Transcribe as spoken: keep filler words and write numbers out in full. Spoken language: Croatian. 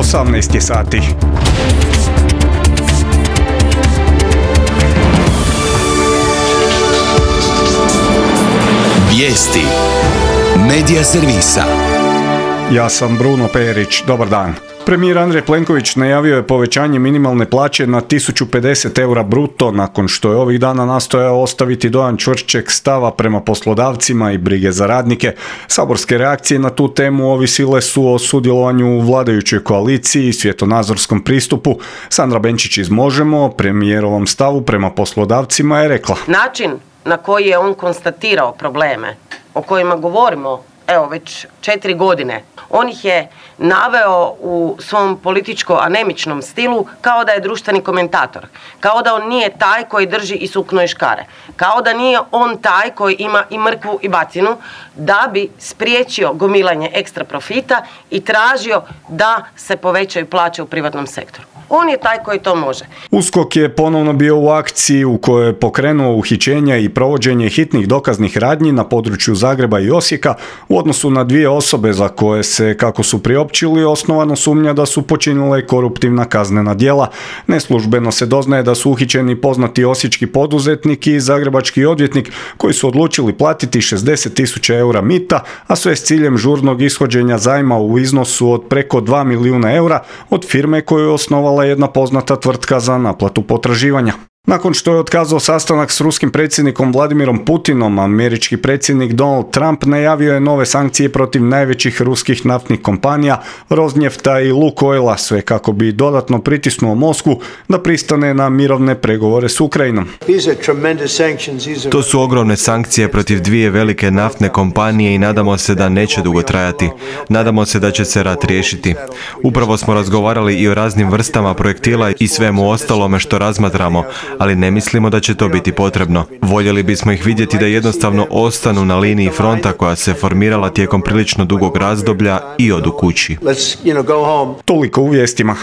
osamnaest je sati. Vijesti Medija servisa. Ja sam Bruno Perić, dobar dan. Premijer Andrej Plenković najavio je povećanje minimalne plaće na tisuću pedeset eura bruto nakon što je ovih dana nastojao ostaviti dojam čvršćeg stava prema poslodavcima i brige za radnike. Saborske reakcije na tu temu ovisile su o sudjelovanju u vladajućoj koaliciji i svjetonazorskom pristupu. Sandra Benčić iz Možemo o premijerovom stavu prema poslodavcima je rekla: Način na koji je on konstatirao probleme o kojima govorimo evo već četiri godine, on ih je naveo u svom političko-anemičnom stilu kao da je društveni komentator, kao da on nije taj koji drži i sukno i škare, kao da nije on taj koji ima i mrkvu i bacinu da bi spriječio gomilanje ekstra profita i tražio da se povećaju plaće u privatnom sektoru. On je taj koji to može. USKOK je ponovno bio u akciji u kojoj je pokrenuo uhićenja i provođenje hitnih dokaznih radnji na području Zagreba i Osijeka u odnosu na dvije osobe za koje se, kako su priopćili, osnovano sumnja da su počinile koruptivna kaznena djela. Neslužbeno se doznaje da su uhićeni poznati osječki poduzetnik i zagrebački odvjetnik koji su odlučili platiti šezdeset tisuća eura mita, a sve s ciljem žurnog ishođenja zajma u iznosu od preko dva milijuna eura od firme koju je osnovala jedna poznata tvrtka za naplatu potraživanja. Nakon što je otkazao sastanak s ruskim predsjednikom Vladimirom Putinom, američki predsjednik Donald Trump najavio je nove sankcije protiv najvećih ruskih naftnih kompanija Rosnefta i Lukoila, sve kako bi dodatno pritisnuo Moskvu da pristane na mirovne pregovore s Ukrajinom. To su ogromne sankcije protiv dvije velike naftne kompanije i nadamo se da neće dugo trajati. Nadamo se da će se rat riješiti. Upravo smo razgovarali i o raznim vrstama projektila i svemu ostalome što razmatramo, ali ne mislimo da će to biti potrebno. Voljeli bismo ih vidjeti da jednostavno ostanu na liniji fronta koja se formirala tijekom prilično dugog razdoblja i odu kući. Toliko u vijestima.